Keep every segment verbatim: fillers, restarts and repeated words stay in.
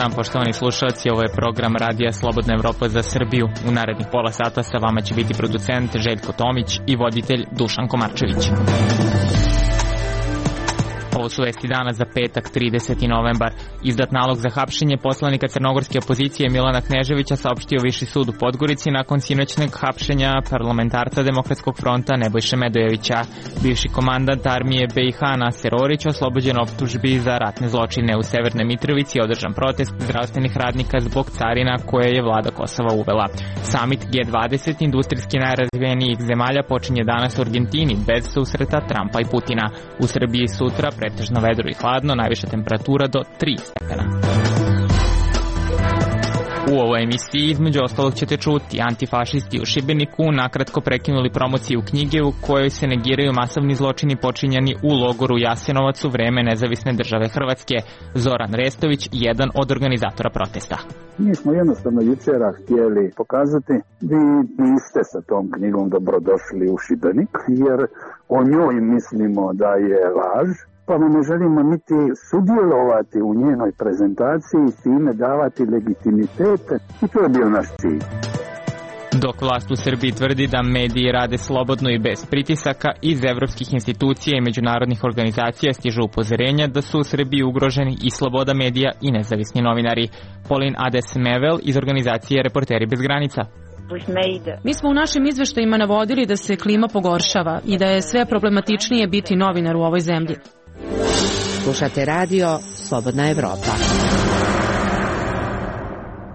dan, poštovani slušalci, ovo je program Radija Slobodna Evropa za Srbiju. U narednih pola sata sa vama će biti producent Željko Tomić i voditelj Dušan Komarčević. Ovo su vesti dana za petak, trideseti novembar. Izdat nalog za hapšenje poslanika crnogorske opozicije Milana Kneževića saopštio Viši sud u Podgorici nakon sinoćnog hapšenja parlamentarca Demokratskog fronta Nebojše Medojevića. Bivši komandant armije B i H Naser Orić oslobođen optužbi za ratne zločine. U Severnoj Mitrovici je održan protest zdravstvenih radnika zbog carina koje je vlada Kosova uvela. Samit G dvadeset industrijski najrazvijenijih zemalja počinje danas u Argentini bez susreta Trumpa i Putina. U Srbiji sutra pretežno vedro i hladno, najviša temperatura do tri stepena. U ovoj emisiji između ostalog ćete čuti: antifašisti u Šibeniku nakratko prekinuli promociju knjige u kojoj se negiraju masovni zločini počinjeni u logoru Jasenovac u vreme nezavisne države Hrvatske. Zoran Restović, jedan od organizatora protesta. Mi smo jednostavno jučera htjeli pokazati vi niste sa tom knjigom dobrodošli u Šibenik, jer o njoj mislimo da je laž, pa ne želimo niti sudjelovati u njenoj prezentaciji i s time davati legitimitete, i to je bio naš cilj. Dok vlast u Srbiji tvrdi da mediji rade slobodno i bez pritisaka, iz evropskih institucija i međunarodnih organizacija stižu upozorenja da su u Srbiji ugroženi i sloboda medija i nezavisni novinari. Pauline Ades-Mevel iz organizacije Reporteri bez granica. Mi smo u našim izveštajima navodili da se klima pogoršava i da je sve problematičnije biti novinar u ovoj zemlji. Slušate radio Slobodna Evropa.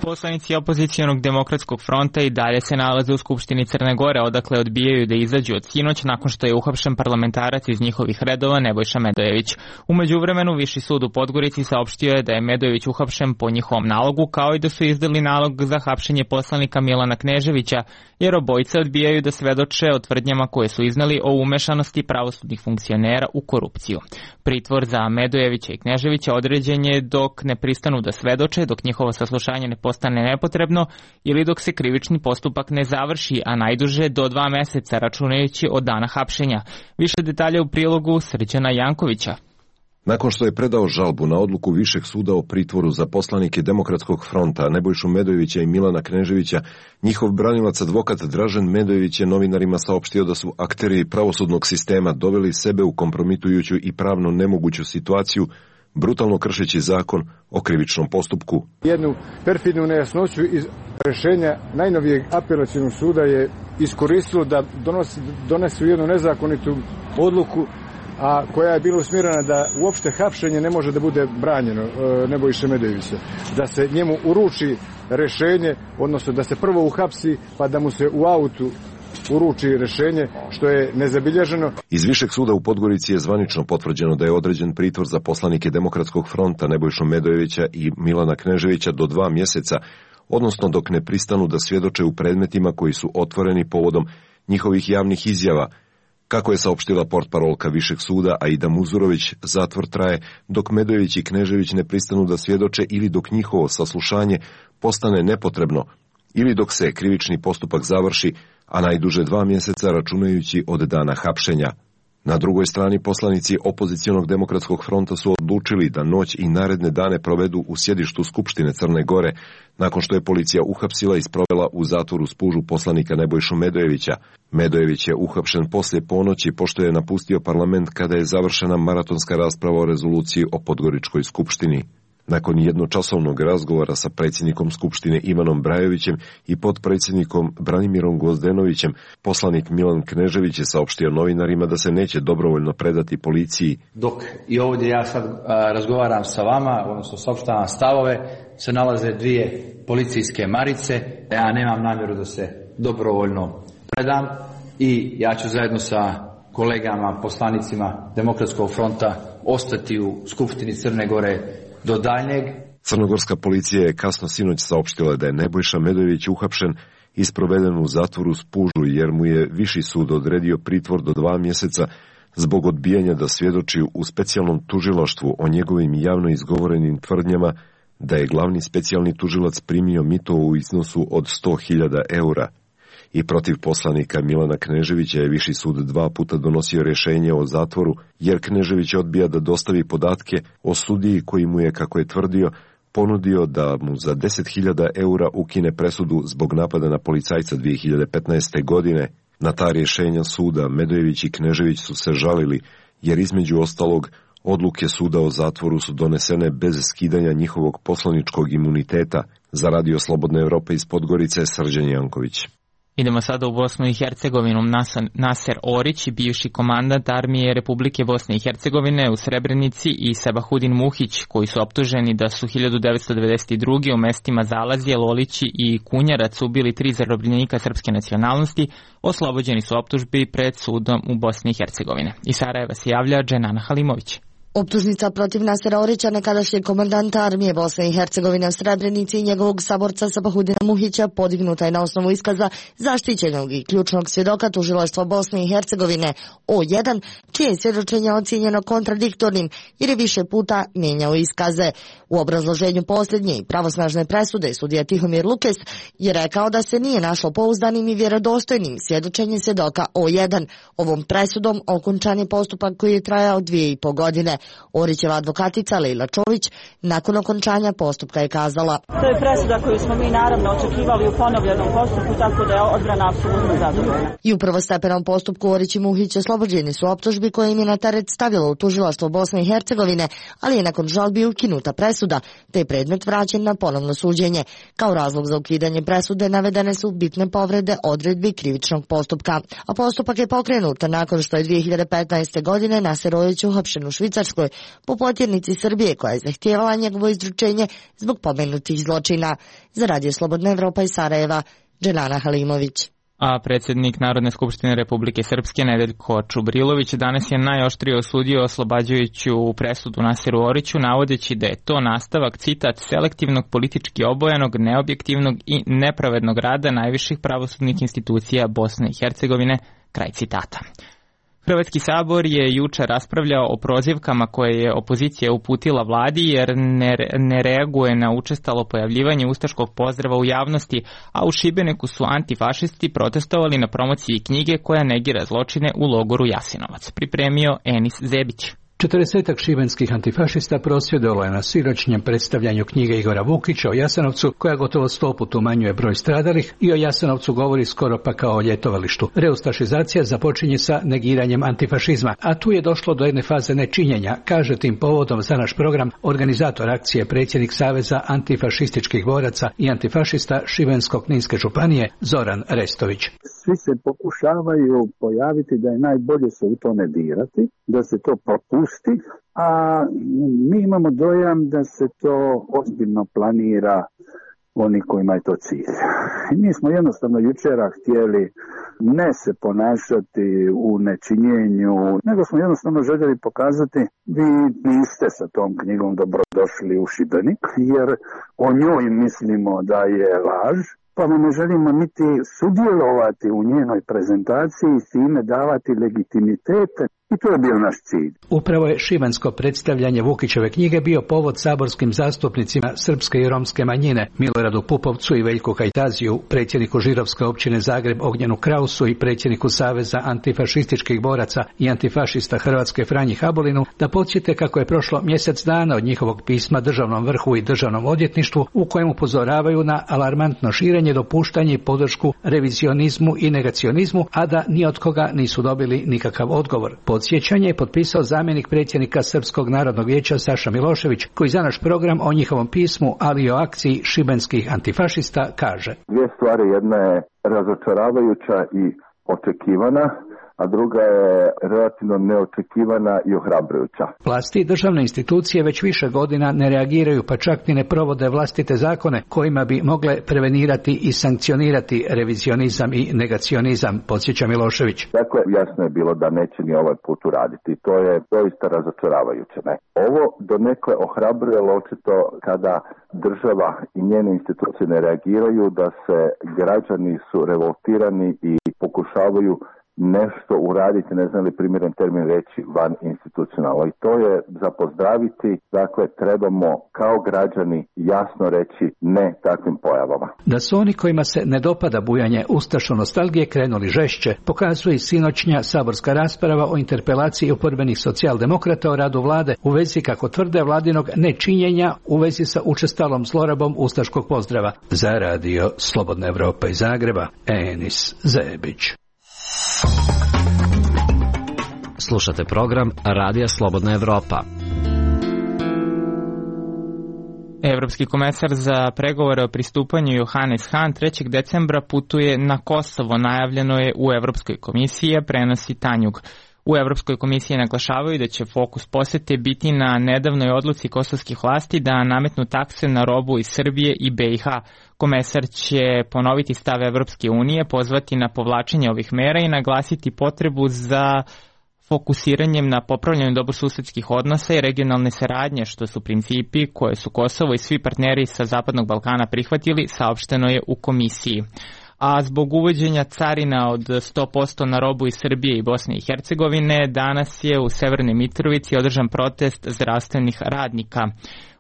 Poslanici opozicijonog Demokratskog fronta i dalje se nalaze u Skupštini Crne Gore, odakle odbijaju da izađu od sinoć nakon što je uhapšen parlamentarac iz njihovih redova Nebojša Medojević. U međuvremenu Viši sud u Podgorici saopštio je da je Medojević uhapšen po njihovom nalogu, kao i da su izdali nalog za hapšenje poslanika Milana Kneževića, jer obojica odbijaju da svedoče o tvrdnjama koje su iznali o umešanosti pravosudnih funkcionera u korupciju. Pritvor za Medojevića i Kneževića određen je dok ne pristanu da svedoče, dok njihovo saslušanje ne postane nepotrebno ili dok se krivični postupak ne završi, a najduže do dva meseca računajući od dana hapšenja. Više detalja u prilogu Srđana Jankovića. Nakon što je predao žalbu na odluku Višeg suda o pritvoru za poslanike Demokratskog fronta Nebojšu Medojevića i Milana Kneževića, njihov branilac advokat Dražen Medojević je novinarima saopštio da su akteri pravosudnog sistema doveli sebe u kompromitujuću i pravno nemoguću situaciju, brutalno kršeći zakon o krivičnom postupku. Jednu perfidnu nejasnoću iz rešenja najnovijeg apelacionog suda je iskoristilo da donosi, donesu jednu nezakonitu odluku, a koja je bila usmjerena da uopšte hapšenje ne može da bude branjeno e, Nebojše Medojevića. Da se njemu uruči rešenje, odnosno da se prvo uhapsi pa da mu se u autu uruči rešenje, što je nezabilježeno. Iz Višeg suda u Podgorici je zvanično potvrđeno da je određen pritvor za poslanike Demokratskog fronta Nebojšu Medojevića i Milana Kneževića do dva mjeseca, odnosno dok ne pristanu da svjedoče u predmetima koji su otvoreni povodom njihovih javnih izjava. Kako je saopštila portparolka Višeg suda Aida Muzurović, zatvor traje dok Medojević i Knežević ne pristanu da svjedoče ili dok njihovo saslušanje postane nepotrebno ili dok se krivični postupak završi, a najduže dva mjeseca računajući od dana hapšenja. Na drugoj strani poslanici opozicijonog Demokratskog fronta su odlučili da noć i naredne dane provedu u sjedištu Skupštine Crne Gore, nakon što je policija uhapsila i sprovela u zatvoru Spužu poslanika Nebojšu Medojevića. Medojević je uhapšen poslije ponoći pošto je napustio parlament kada je završena maratonska rasprava o rezoluciji o Podgoričkoj skupštini. Nakon jednočasovnog razgovora sa predsjednikom Skupštine Ivanom Brajovićem i potpredsjednikom Branimirom Gvozdenovićem, poslanik Milan Knežević je saopštio novinarima da se neće dobrovoljno predati policiji. Dok i ovdje ja sad a, razgovaram sa vama, odnosno saopštavam stavove, se nalaze dvije policijske marice. Ja nemam namjeru da se dobrovoljno predam i ja ću zajedno sa kolegama, poslanicima Demokratskog fronta ostati u Skupštini Crne Gore do daljnjeg. Crnogorska policija je kasno sinoć saopštila da je Nebojša Medojević uhapšen i sproveden u zatvoru Spužu jer mu je Viši sud odredio pritvor do dva mjeseca zbog odbijanja da svjedoči u specijalnom tužilaštvu o njegovim javno izgovorenim tvrdnjama da je glavni specijalni tužilac primio mito u iznosu od sto hiljada eura. I protiv poslanika Milana Kneževića je Viši sud dva puta donosio rješenje o zatvoru, jer Knežević odbija da dostavi podatke o sudiji koji mu je, kako je tvrdio, ponudio da mu za deset hiljada eura ukine presudu zbog napada na policajca dvije hiljade petnaeste. godine. Na ta rješenja suda Medojević i Knežević su se žalili, jer između ostalog odluke suda o zatvoru su donesene bez skidanja njihovog poslaničkog imuniteta. Za Radio Slobodne Evrope iz Podgorice, Srđan Janković. Idemo sada u Bosnu i Hercegovinu. Naser Orić, bivši komandant armije Republike Bosne i Hercegovine u Srebrenici, i Sabahudin Muhić, koji su optuženi da su hiljadu devetsto devedeset druge. u mestima Zalazije, Lolići i Kunjarac ubili tri zarobljenika srpske nacionalnosti, oslobođeni su optužbi pred sudom u Bosni i Hercegovine. Iz Sarajeva se javlja Dženana Halimović. Optužnica protiv Nasera Orića, nekadašnjeg komandanta armije Bosne i Hercegovine u Srebrenici, i njegovog saborca Sabahudina Muhića podignuta je na osnovu iskaza zaštićenog i ključnog svjedoka tužilaštva Bosne i Hercegovine O jedan, čije je svjedočenje ocijenjeno kontradiktornim jer je više puta mijenjao iskaze. U obrazloženju posljednje i pravosnažne presude sudija Tihomir Lukes je rekao da se nije našlo pouzdanim i vjerodostojnim svjedočenje svjedoka O jedan. Ovom presudom okončan je postupak koji je trajao dvije i po godine. Orićeva advokatica Lejla Čović nakon okončanja postupka je kazala: To je presuda koju smo mi naravno očekivali u ponovljenom postupku, tako da je odbrana apsolutno zadovoljna. I u prvostepenom postupku Orić i Muhić oslobođeni su optužbi koje im je na teret stavilo u tužilaštvo Bosne i Hercegovine, ali je nakon žalbi ukinuta presuda, te je predmet vraćen na ponovno suđenje. Kao razlog za ukidanje presude navedene su bitne povrede odredbi krivičnog postupka. A postupak je pokrenut nakon što je dvije hiljade petnaeste. godine Naser Orić uhapšen u Švicarskoj po potjernici Srbije koja je zahtijevala njegovo izručenje zbog pomenutih zločina. Za Radio Slobodna Evropa iz Sarajeva, Dženana Halimović. A predsjednik Narodne skupštine Republike Srpske Nedeljko Čubrilović danas je najoštrije osudio oslobađajuću presudu Naseru Oriću, navodeći da je to nastavak, citat, selektivnog, politički obojanog, neobjektivnog i nepravednog rada najviših pravosudnih institucija Bosne i Hercegovine, kraj citata. Hrvatski sabor je juče raspravljao o prozivkama koje je opozicija uputila vladi jer ne, ne reaguje na učestalo pojavljivanje ustaškog pozdrava u javnosti, a u Šibeniku su antifašisti protestovali na promociji knjige koja negira zločine u logoru Jasenovac. Pripremio Enis Zebić. Četrdesetak šibenskih antifašista prosvjedovalo je na sinoćnjem predstavljanju knjige Igora Vukića o Jasenovcu, koja gotovo sto puta umanjuje broj stradalih i o Jasenovcu govori skoro pa kao o ljetovalištu. Reustašizacija započinje sa negiranjem antifašizma, a tu je došlo do jedne faze nečinjenja, kaže tim povodom za naš program organizator akcije, predsjednik Saveza antifašističkih boraca i antifašista Šibensko-kninske županije Zoran Restović. Svi se pokušavaju pojaviti da je najbolje se u to ne dirati, da se to propusti, a mi imamo dojam da se to ozbiljno planira oni kojima je to cilj. Mi smo jednostavno jučera htjeli ne se ponašati u nečinjenju, nego smo jednostavno željeli pokazati vi niste sa tom knjigom dobrodošli u Šibenik, jer o njoj mislimo da je laž, pa ne želimo niti sudjelovati u njenoj prezentaciji i s time davati legitimitete. I to je bio naš cilj. Upravo je šibensko predstavljanje Vukićeve knjige bio povod saborskim zastupnicima srpske i romske manjine Miloradu Pupovcu i Veljku Kajtaziju, predsjedniku Žirovske općine Zagreb Ognjenu Krausu i predsjedniku Saveza antifašističkih boraca i antifašista Hrvatske Franji Habolinu da podsjete kako je prošlo mjesec dana od njihovog pisma državnom vrhu i državnom odvjetništvu u kojem upozoravaju na alarmantno širenje, dopuštanje i podršku revizionizmu i negacionizmu, a da ni od koga nisu dobili nikakav odgovor. Podsjećanje je potpisao zamjenik predsjednika Srpskog narodnog vijeća Saša Milošević, koji za naš program o njihovom pismu, ali i o akciji šibenskih antifašista kaže: Dvije stvari, jedna je razočaravajuća i očekivana, a druga je relativno neočekivana i ohrabrujuća. Vlasti i državne institucije već više godina ne reagiraju, pa čak ni ne provode vlastite zakone kojima bi mogle prevenirati i sankcionirati revizionizam i negacionizam, podsjeća Milošević. Dakle, jasno je bilo da neće ni ovaj put uraditi. To je doista razočaravajuće. Ne? Ovo donekle ohrabruje, očito kada država i njene institucije ne reagiraju, da se građani su revoltirani i pokušavaju nešto uraditi, ne znam li primjeren termin reći, van institucionalno. I to je za pozdraviti, dakle trebamo kao građani jasno reći ne takvim pojavama. Da su oni kojima se ne dopada bujanje ustašo nostalgije krenuli žešće, pokazuje i sinoćnja saborska rasprava o interpelaciji oporbenih socijaldemokrata o radu vlade u vezi, kako tvrde, vladinog nečinjenja u vezi sa učestalom zlorabom ustaškog pozdrava. Za radio Slobodna Evropa iz Zagreba, Enis Zebić. Slušate program Radija Slobodna Evropa. Evropski komesar za pregovore o pristupanju Johannes Hahn trećeg decembra putuje na Kosovo, najavljeno je u Evropskoj komisiji, a prenosi Tanjug. U Evropskoj komisiji naglašavaju da će fokus posete biti na nedavnoj odluci kosovskih vlasti da nametnu takse na robu iz Srbije i B i H. Komesar će ponoviti stav Evropske unije, pozvati na povlačenje ovih mera i naglasiti potrebu za fokusiranjem na popravljanju dobrosusedskih odnosa i regionalne saradnje, što su principi koje su Kosovo i svi partneri sa Zapadnog Balkana prihvatili, saopšteno je u komisiji. A zbog uvođenja carina od sto posto na robu iz Srbije i Bosne i Hercegovine, danas je u Severnoj Mitrovici održan protest zdravstvenih radnika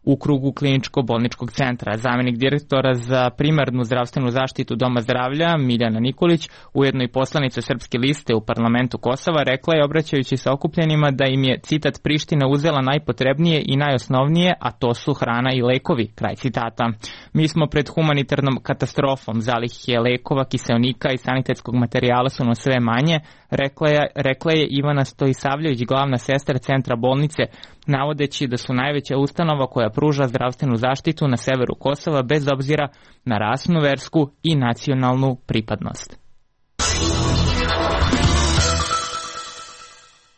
u krugu kliničko-bolničkog centra. Zamenik direktora za primarnu zdravstvenu zaštitu Doma zdravlja Miljana Nikolić, ujedno i poslanica Srpske liste u parlamentu Kosova, rekla je, obraćajući se okupljenima, da im je, citat, Priština uzela najpotrebnije i najosnovnije, a to su hrana i lekovi, kraj citata. Mi smo pred humanitarnom katastrofom, zalihe lekova, kiseonika i sanitetskog materijala su nam sve manje, rekla je, rekla je Ivana Stojisavljević, glavna sestra centra bolnice, navodeći da su najveća ustanova koja pruža zdravstvenu zaštitu na severu Kosova bez obzira na rasnu, versku i nacionalnu pripadnost.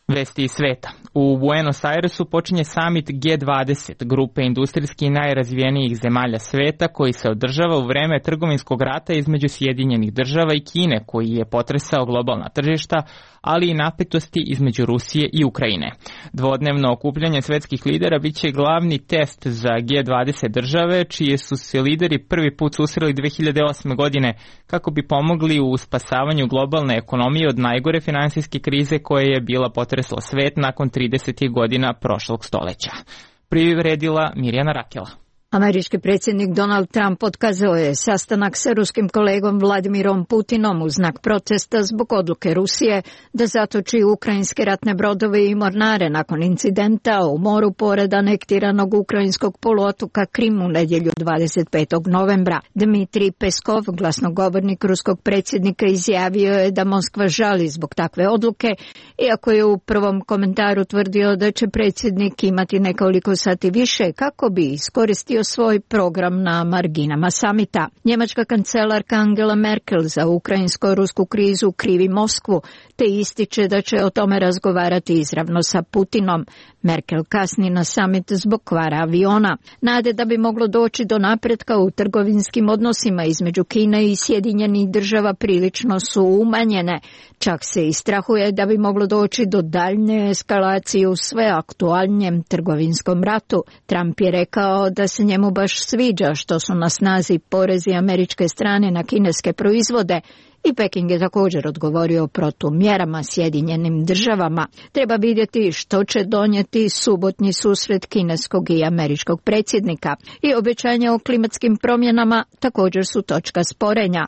Vesti iz sveta. U Buenos Airesu počinje summit G dvadeset, grupe industrijski najrazvijenijih zemalja sveta, koji se održava u vreme trgovinskog rata između Sjedinjenih država i Kine, koji je potresao globalna tržišta, ali i napetosti između Rusije i Ukrajine. Dvodnevno okupljanje svetskih lidera biće glavni test za G dvadeset države, čije su se lideri prvi put susreli dve hiljade osme. godine kako bi pomogli u spasavanju globalne ekonomije od najgore finansijske krize koja je bila potresla svet nakon tridesetih godina prošlog stoleća. Privredila Mirjana Rakela. Američki predsjednik Donald Trump otkazao je sastanak sa ruskim kolegom Vladimirom Putinom u znak protesta zbog odluke Rusije da zatoči ukrajinske ratne brodove i mornare nakon incidenta u moru pored anektiranog ukrajinskog poluotoka Krim u nedjelju dvadeset petog novembra. Dmitrij Peskov, glasnogovornik ruskog predsjednika, izjavio je da Moskva žali zbog takve odluke, iako je u prvom komentaru tvrdio da će predsjednik imati nekoliko sati više kako bi iskoristio svoj program na marginama samita. Njemačka kancelarka Angela Merkel za ukrajinsko-rusku krizu krivi Moskvu, te ističe da će o tome razgovarati izravno sa Putinom. Merkel kasni na samit zbog kvara aviona. Nade da bi moglo doći do napretka u trgovinskim odnosima između Kine i Sjedinjenih država prilično su umanjene. Čak se i strahuje da bi moglo doći do daljnje eskalacije u sve aktualnijem trgovinskom ratu. Trump je rekao da se njemu baš sviđa što su na snazi porezi američke strane na kineske proizvode, i Peking je također odgovorio protumjerama Sjedinjenim državama. Treba vidjeti što će donijeti subotnji susret kineskog i američkog predsjednika. I obećanja o klimatskim promjenama također su točka sporenja.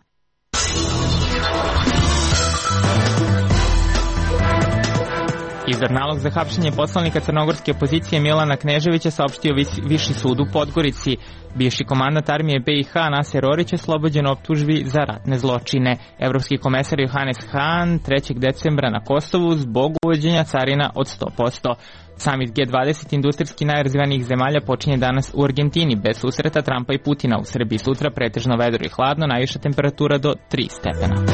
Izdan nalog za hapšenje poslanika crnogorske opozicije Milana Kneževića saopštio Viši sud u Podgorici. Bivši komandant armije B i H Naser Orić je oslobođen optužbi za ratne zločine. Evropski komesar Johannes Hahn trećeg decembra na Kosovu zbog uvođenja carina od sto posto. Summit G dvadeset industrijski najrazvijenijih zemalja počinje danas u Argentini bez susreta Trumpa i Putina. U Srbiji sutra pretežno vedro i hladno, najviša temperatura do tri stepena.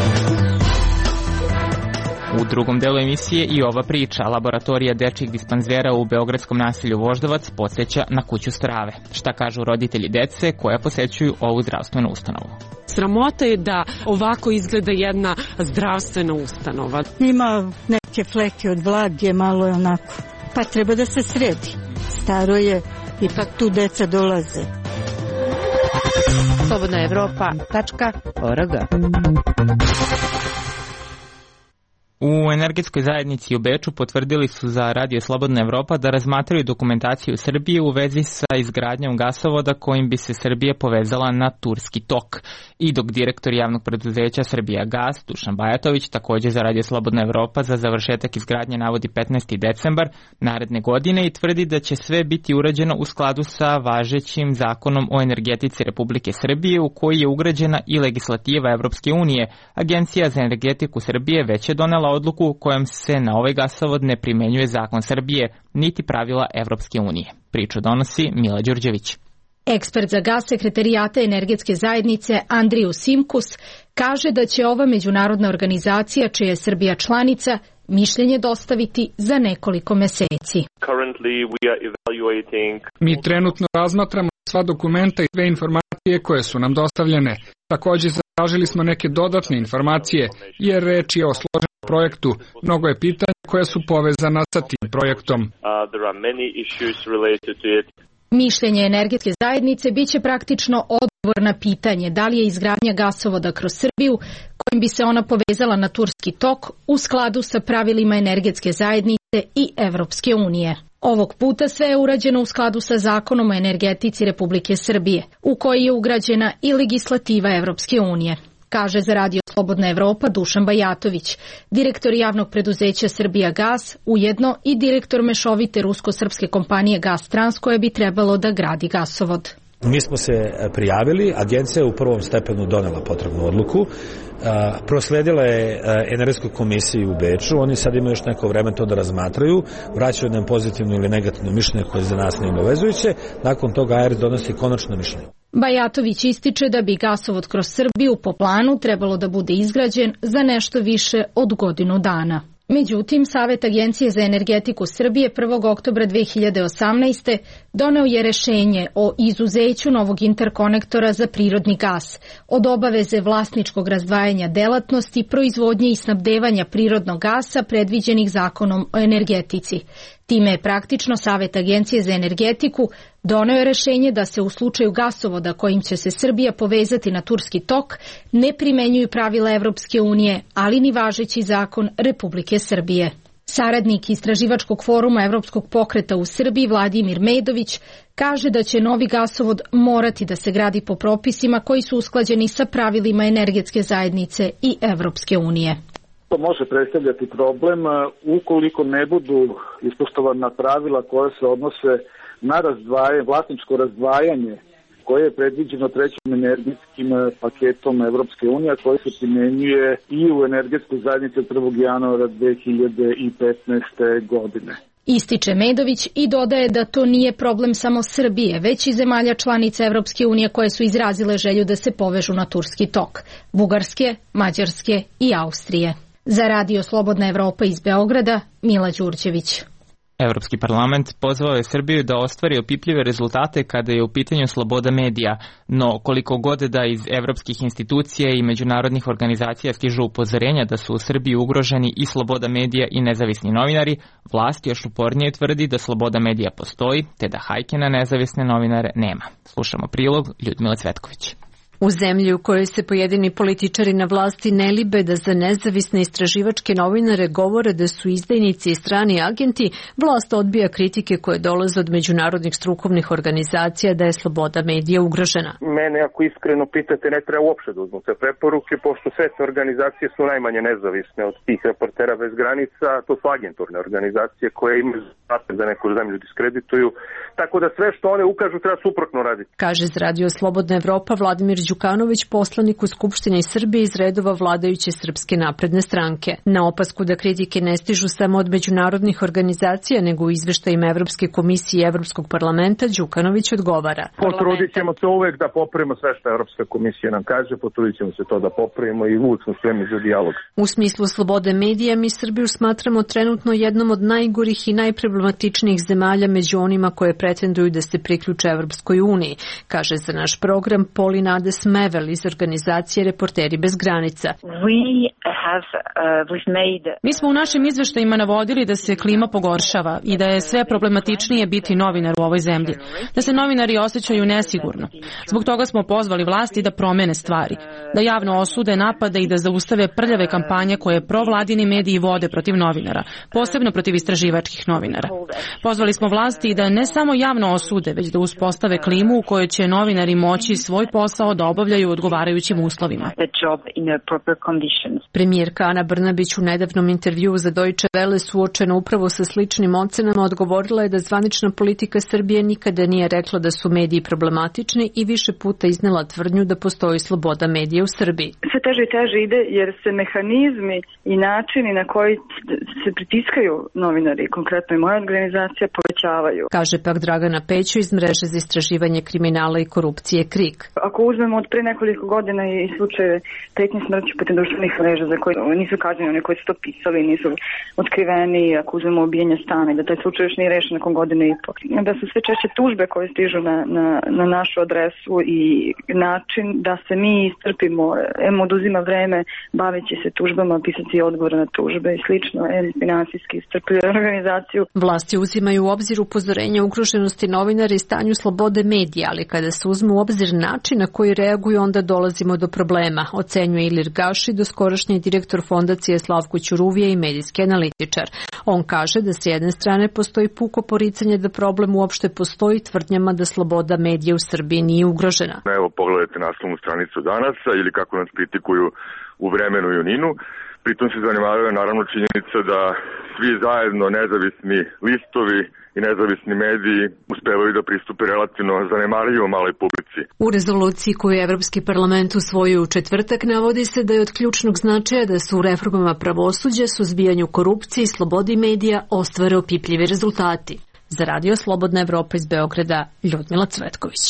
U drugom delu emisije i ova priča. Laboratorija dečjih dispanzera u beogradskom naselju Voždovac podsjeća na kuću strave. Šta kažu roditelji dece koja posećuju ovu zdravstvenu ustanovu? Sramota je da ovako izgleda jedna zdravstvena ustanova. Ima neke fleke od vlage, malo je onako. Pa treba da se sredi. Staro je, ipak tu deca dolaze. Slobodna Evropa tačka org. U energetskoj zajednici u Beču potvrdili su za Radio Slobodna Evropa da razmatraju dokumentaciju Srbije u vezi sa izgradnjom gasovoda kojim bi se Srbija povezala na Turski tok. I dok direktor javnog preduzeća Srbija Gas, Dušan Bajatović, također za Radio Slobodna Evropa za završetak izgradnje navodi petnaesti decembar naredne godine i tvrdi da će sve biti urađeno u skladu sa važećim zakonom o energetici Republike Srbije u koji je ugrađena i legislativa Evropske unije. Agencija za energetiku Srbije već je donela odluku kojom se na ovaj gasovod ne primenjuje zakon Srbije, niti pravila Evropske unije. Priču donosi Mila Đurđević. Ekspert za gas sekretarijata energetske zajednice Andriju Simkus kaže da će ova međunarodna organizacija, čija je Srbija članica, mišljenje dostaviti za nekoliko meseci. Mi trenutno razmatramo sva dokumenta i sve informacije koje su nam dostavljene. Također zatražili smo neke dodatne informacije, jer reč je o složenom projektu. Mnogo je pitanja koja su povezana sa tim projektom. Mišljenje energetske zajednice biće praktično odgovor na pitanje da li je izgradnja gasovoda kroz Srbiju, kojim bi se ona povezala na Turski tok, u skladu sa pravilima energetske zajednice i Evropske unije. Ovog puta sve je urađeno u skladu sa zakonom o energetici Republike Srbije, u koji je ugrađena i legislativa Evropske unije, kaže za Radio Slobodna Evropa Dušan Bajatović, direktor javnog preduzeća Srbija Gas, ujedno i direktor mešovite rusko-srpske kompanije Gas Trans koja bi trebalo da gradi gasovod. Mi smo se prijavili, agencija je u prvom stepenu donela potrebnu odluku, prosledila je energetskoj komisiji u Beču, oni sad imaju još neko vreme to da razmatraju, vraćaju nam pozitivno ili negativno mišljenje koje za nas nije obavezujuće, nakon toga A R donosi konačno mišljenje. Bajatović ističe da bi gasovod kroz Srbiju po planu trebalo da bude izgrađen za nešto više od godinu dana. Međutim, Savet Agencije za energetiku Srbije prvog oktobra dve hiljade osamnaeste. doneo je rešenje o izuzeću novog interkonektora za prirodni gas, od obaveze vlasničkog razdvajanja delatnosti, proizvodnje i snabdevanja prirodnog gasa predviđenih zakonom o energetici. Time je praktično Savet Agencije za energetiku doneo je rešenje da se u slučaju gasovoda kojim će se Srbija povezati na Turski tok ne primenjuju pravila Evropske unije, ali ni važeći zakon Republike Srbije. Saradnik Istraživačkog foruma Evropskog pokreta u Srbiji Vladimir Medović kaže da će novi gasovod morati da se gradi po propisima koji su usklađeni sa pravilima energetske zajednice i Evropske unije. To može predstavljati problem ukoliko ne budu ispoštovana pravila koja se odnose na razdvajanje, vlasničko razdvajanje koje je predviđeno trećim energetskim paketom Evropske unije, koje se primenjuje i u energetskoj zajednici od prvog januara dve hiljade petnaeste. godine. Ističe Medović i dodaje da to nije problem samo Srbije, već i zemalja članica Evropske unije koje su izrazile želju da se povežu na Turski tok, Bugarske, Mađarske i Austrije. Za Radio Slobodna Evropa iz Beograda, Mila Đurđević. Evropski parlament pozvao je Srbiju da ostvari opipljive rezultate kada je u pitanju sloboda medija, no koliko god da iz evropskih institucija i međunarodnih organizacija stižu upozorenja da su u Srbiji ugroženi i sloboda medija i nezavisni novinari, vlast još upornije tvrdi da sloboda medija postoji, te da hajke na nezavisne novinare nema. Slušamo prilog Ljudmile Cvetković. U zemlji u kojoj se pojedini političari na vlasti ne libe da za nezavisne istraživačke novinare govore da su izdajnici i strani agenti, vlast odbija kritike koje dolaze od međunarodnih strukovnih organizacija da je sloboda medija ugrožena. Mene, ako iskreno pitate, ne treba uopšte da uzmu te preporuke, pošto sve te organizacije su najmanje nezavisne od tih Reportera bez granica, to su agenturne organizacije koje imaju zadatak da neku zemlju diskredituju, tako da sve što one ukažu treba suprotno raditi. Kaže za Radio Slobodna Evropa Vladimir Đukanović, poslanik u Skupštini Srbije iz redova vladajuće Srpske napredne stranke. Na opasku da kritike ne stižu samo od međunarodnih organizacija, nego u izveštajima Evropske komisije i Evropskog parlamenta, Đukanović odgovara. Potrudit ćemo se uvek da popravimo sve što Evropska komisija nam kaže, potrudit ćemo se to da popravimo i uvek smo spremni za dijalog. U smislu slobode medija, mi Srbiju smatramo trenutno jednom od najgorih i najproblematičnijih zemalja među onima koje pretenduju da se priključe Evropskoj uniji, kaže za naš program Polinade Smevel iz organizacije Reporteri bez granica. We Mi smo u našim izveštajima navodili da se klima pogoršava i da je sve problematičnije biti novinar u ovoj zemlji, da se novinari osjećaju nesigurno. Zbog toga smo pozvali vlasti da promene stvari, da javno osude napade i da zaustave prljave kampanje koje provladini mediji vode protiv novinara, posebno protiv istraživačkih novinara. Pozvali smo vlasti da ne samo javno osude, već da uspostave klimu u kojoj će novinari moći svoj posao da obavljaju u odgovarajućim uslovima. Premijerka Ana Brnabić u nedavnom intervjuu za Deutsche Welle suočena upravo sa sličnim ocenama odgovorila je da zvanična politika Srbije nikada nije rekla da su mediji problematični i više puta iznela tvrdnju da postoji sloboda medija u Srbiji. Sve teže i teže ide jer se mehanizmi i načini na koji se pritiskaju novinari, konkretno i moja organizacija, povećavaju. Kaže pak Dragana Pećo iz mreže za istraživanje kriminala i korupcije KRIK. Ako uzmemo od pre nekoliko godina i slučaje pretnje smrću putem društvenih mreža za koje nisu kažnjeni, oni koji su to pisali, nisu otkriveni, ako uzmemo ubijanje stana i da taj slučaj još nije rešen nakon godine i po. Da su sve češće tužbe koje stižu na, na, na našu adresu i način da se mi istrpimo, em oduzima vreme baveći se tužbama, pisati odgovore na tužbe i slično, em finansijski istrpljuje organizaciju. Vlasti uzimaju u obzir upozorenja ugroženosti novinara i stanju slobode medija, ali kada se uzme u obzir način na koji reaguju, onda dolazimo do problema, ocenjuje Ilir Gaši, doskorašnji direktor fondacije Slavko Ćuruvija i medijski analitičar. On kaže da s jedne strane postoji puko poricanje da problem uopšte postoji tvrdnjama da sloboda medija u Srbiji nije ugrožena. Evo pogledajte naslovnu stranicu Danasa ili kako nas kritikuju u Vremenu i Uninu. Pritom se zanemaruje naravno činjenica da svi zajedno nezavisni listovi i nezavisni mediji uspevaju da pristupe relativno zanemarljivo maloj publici. U rezoluciji koju je Evropski parlament usvojio u četvrtak navodi se da je od ključnog značaja da su u reformama pravosuđa, suzbijanju korupcije i slobodi medija ostvare opipljivi rezultati. Za Radio Slobodna Evropa iz Beograda, Ljudmila Cvetković.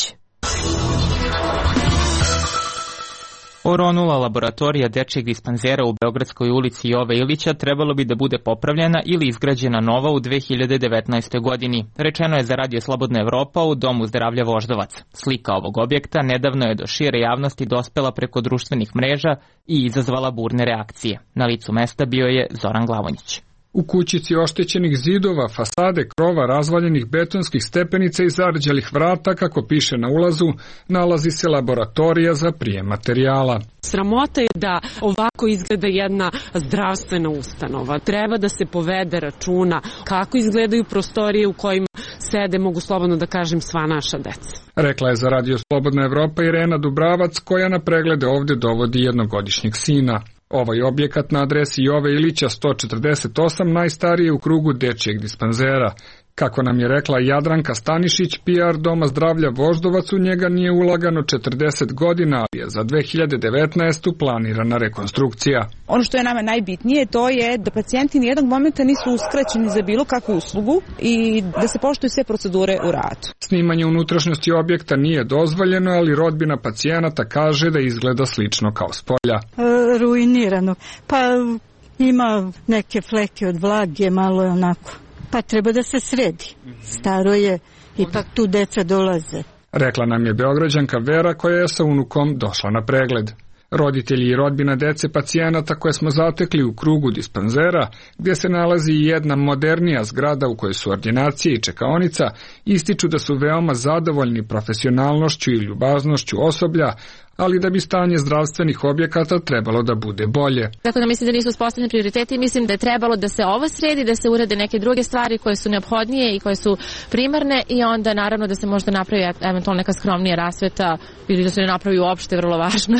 Oronula laboratorija dečijeg dispanzera u Beogradskoj ulici Jove Ilića trebalo bi da bude popravljena ili izgrađena nova u dve hiljade devetnaestoj. godini. Rečeno je za Radio Slobodna Evropa u Domu zdravlja Voždovac. Slika ovog objekta nedavno je do šire javnosti dospela preko društvenih mreža i izazvala burne reakcije. Na licu mesta bio je Zoran Glavonjić. U kućici oštećenih zidova, fasade, krova, razvaljenih betonskih stepenica i zarđalih vrata, kako piše na ulazu, nalazi se laboratorija za prijem materijala. Sramota je da ovako izgleda jedna zdravstvena ustanova. Treba da se povede računa kako izgledaju prostorije u kojima sede, mogu slobodno da kažem, sva naša deca. Rekla je za Radio Slobodna Evropa Irena Dubravac, koja na preglede ovde dovodi jednogodišnjeg sina. Ovaj objekat na adresi Jove Ilića sto četrdeset osam najstariji je u krugu dečijeg dispanzera. Kako nam je rekla Jadranka Stanišić, P R Doma zdravlja Voždovac, u njega nije ulagano četrdeset godina, ali je za dve hiljade devetnaestu. planirana rekonstrukcija. Ono što je nama najbitnije, to je da pacijenti nijednog momenta nisu uskraćeni za bilo kakvu uslugu i da se poštuju sve procedure u radu. Snimanje unutrašnjosti objekta nije dozvoljeno, ali rodbina pacijenata kaže da izgleda slično kao spolja. E, ruinirano. Pa ima neke fleke od vlage, malo je onako. Pa treba da se sredi. Staro je, ipak tu deca dolaze. Rekla nam je Beograđanka Vera, koja je sa unukom došla na pregled. Roditelji i rodbina dece pacijenata koje smo zatekli u krugu dispanzera, gdje se nalazi i jedna modernija zgrada u kojoj su ordinacije i čekaonica, ističu da su veoma zadovoljni profesionalnošću i ljubaznošću osoblja, ali da bi stanje zdravstvenih objekata trebalo da bude bolje. Tako da mislim da nisu uspostavljeni prioriteti i mislim da je trebalo da se ovo sredi, da se urede neke druge stvari koje su neophodnije i koje su primarne i onda naravno da se možda napravi eventualno neka skromnija rasveta ili da se ne napravi uopšte, vrlo važno.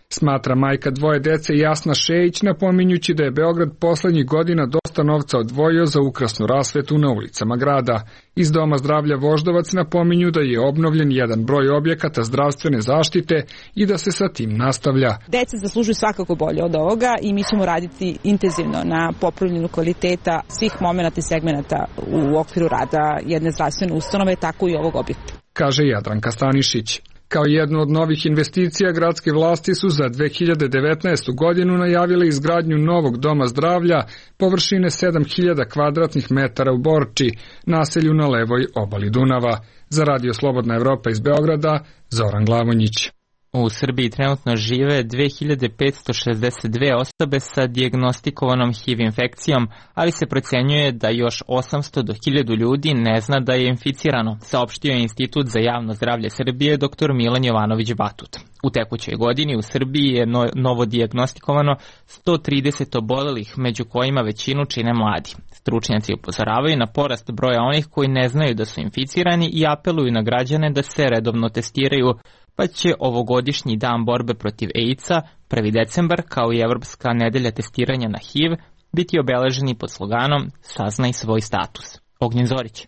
Smatra majka dvoje dece Jasna Šejić, napominjući da je Beograd poslednjih godina dosta novca odvojio za ukrasnu rasvetu na ulicama grada. Iz Doma zdravlja Voždovac napominju da je obnovljen jedan broj objekata zdravstvene zaštite i da se sa tim nastavlja. Deca zaslužuju svakako bolje od ovoga i mi ćemo raditi intenzivno na popravljanju kvaliteta svih momenata i segmenata u okviru rada jedne zdravstvene ustanove, tako i ovog objekta. Kaže Jadranka Stanišić. Kao jednu od novih investicija, gradske vlasti su za dve hiljade devetnaestu. godinu najavile izgradnju novog doma zdravlja površine sedam hiljada kvadratnih metara u Borči, naselju na levoj obali Dunava. Za Radio Slobodna Evropa iz Beograda, Zoran Glavonjić. U Srbiji trenutno žive dve hiljade petsto šezdeset dve osobe sa dijagnostikovanom H I V infekcijom, ali se procenjuje da još osamsto do hiljadu ljudi ne zna da je inficirano, saopštio je Institut za javno zdravlje Srbije dr Milan Jovanović Batut. U tekućoj godini u Srbiji je no, novo dijagnostikovano sto trideset obolelih, među kojima većinu čine mladi. Stručnjaci upozoravaju na porast broja onih koji ne znaju da su inficirani i apeluju na građane da se redovno testiraju, pa će ovogodišnji dan borbe protiv AIDS-a, prvi decembar, kao i Evropska nedelja testiranja na H I V, biti obeleženi pod sloganom Saznaj svoj status. Ognjen Zorić.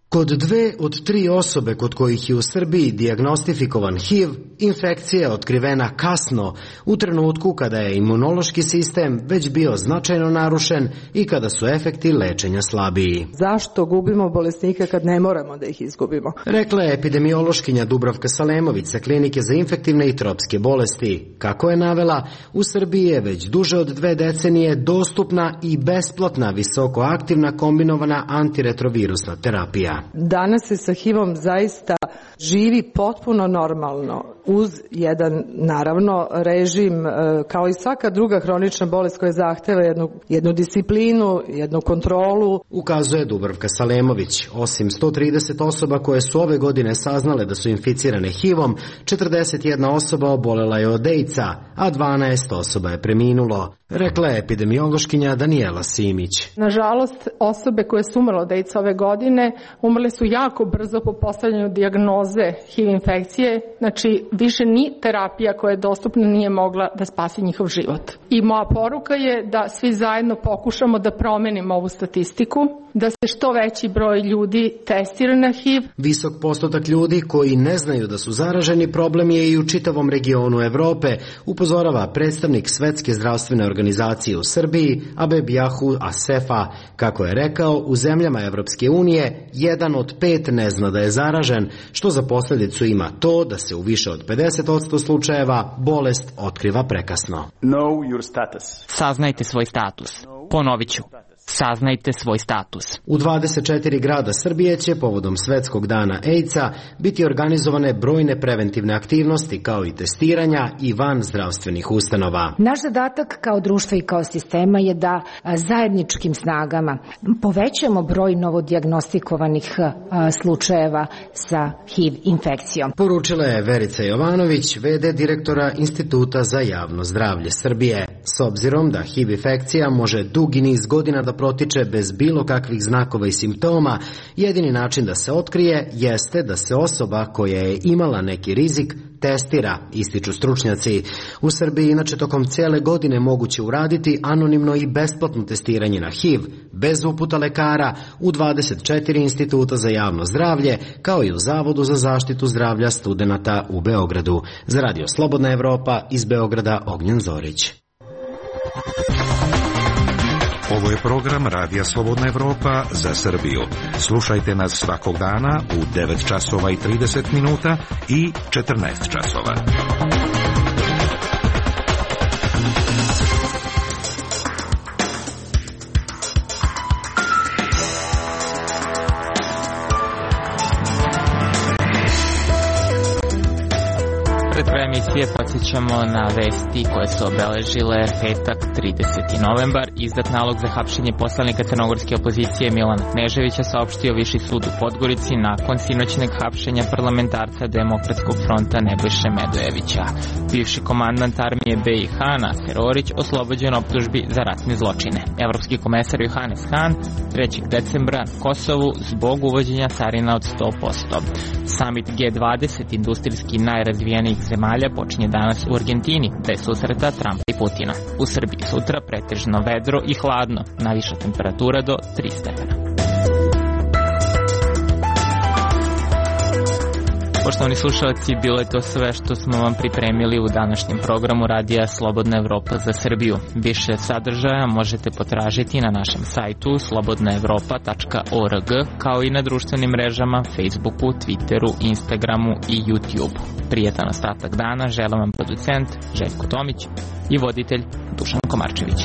Kod dve od tri osobe kod kojih je u Srbiji dijagnostifikovan H I V, infekcija je otkrivena kasno, u trenutku kada je imunološki sistem već bio značajno narušen i kada su efekti lečenja slabiji. Zašto gubimo bolesnike kad ne moramo da ih izgubimo? Rekla je epidemiološkinja Dubravka Salemović sa Klinike za infektivne i tropske bolesti. Kako je navela, u Srbiji je već duže od dve decenije dostupna i besplatna visokoaktivna kombinovana antiretrovirusna terapija. Danas se sa H I V-om zaista živi potpuno normalno uz jedan, naravno, režim kao i svaka druga hronična bolest koja zahteva jednu, jednu disciplinu, jednu kontrolu. Ukazuje Dubravka Salemović. Osim sto trideset osoba koje su ove godine saznale da su inficirane H I V-om, četrdeset jedna osoba obolela je od AIDS-a, a dvanaest osoba je preminulo. Rekla je epidemiološkinja Danijela Simić. Nažalost, osobe koje su umrle od AIDS ove godine umrle su jako brzo po postavljanju dijagnoze H I V infekcije, znači više ni terapija koja je dostupna nije mogla da spasi njihov život. I moja poruka je da svi zajedno pokušamo da promenimo ovu statistiku, da se što veći broj ljudi testira na H I V. Visok postotak ljudi koji ne znaju da su zaraženi problem je i u čitavom regionu Evrope, upozorava predstavnik Svetske zdravstvene organizacije u Srbiji, Abebjahu Asefa. Kako je rekao, u zemljama Evropske unije jedan od pet ne zna da je zaražen, što za posljedicu ima to da se u više od pedeset posto slučajeva bolest otkriva prekasno. Know your status. Saznajte svoj status. Ponovit ću. Saznajte svoj status. U dvadeset četiri grada Srbije će povodom Svetskog dana AIDS-a biti organizovane brojne preventivne aktivnosti kao i testiranja i van zdravstvenih ustanova. Naš zadatak kao društva i kao sistema je da zajedničkim snagama povećamo broj novodijagnostikovanih slučajeva sa H I V infekcijom. Poručila je Verica Jovanović, ve de direktora Instituta za javno zdravlje Srbije. S obzirom da H I V infekcija može dugi niz godina da protiče bez bilo kakvih znakova i simptoma, jedini način da se otkrije jeste da se osoba koja je imala neki rizik testira, ističu stručnjaci. U Srbiji inače tokom cijele godine moguće uraditi anonimno i besplatno testiranje na H I V, bez uputa lekara, u dvadeset četiri instituta za javno zdravlje, kao i u Zavodu za zaštitu zdravlja studenata u Beogradu. Za Radio Slobodna Evropa, iz Beograda, Ognjen Zorić. Ovo je program Radija Slobodna Evropa za Srbiju. Slušajte nas svakog dana u devet časova i trideset minuta i četrnaest časova. Pred krajem emisije podsjećamo na vesti koje su obeležile petak trideseti novembar. Izdat nalog za hapšenje poslanika crnogorske opozicije Milana Kneževića saopštio Viši sud u Podgorici nakon sinoćneg hapšenja parlamentarca Demokratskog fronta Nebojše Medojevića. Bivši komandant armije be i ha Naser Orić oslobođen optužbi za ratne zločine. Evropski komesar Johannes Hahn trećeg decembra na Kosovu zbog uvođenja carina od sto posto. Summit ge dvadeset industrijski najrazvijenijih zemalja počinje danas u Argentini, bez susreta Trumpa i Putina. U Srbiji sutra pretežno vedro i hladno, najviša temperatura do tri stepena. Poštovani slušalci, bilo je to sve što smo vam pripremili u današnjem programu Radija Slobodna Evropa za Srbiju. Više sadržaja možete potražiti na našem sajtu slobodna evropa tačka org, kao i na društvenim mrežama Facebooku, Twitteru, Instagramu i YouTubeu. Prijetan ostatak dana želim vam producent Željko Tomić i voditelj Dušan Komarčević.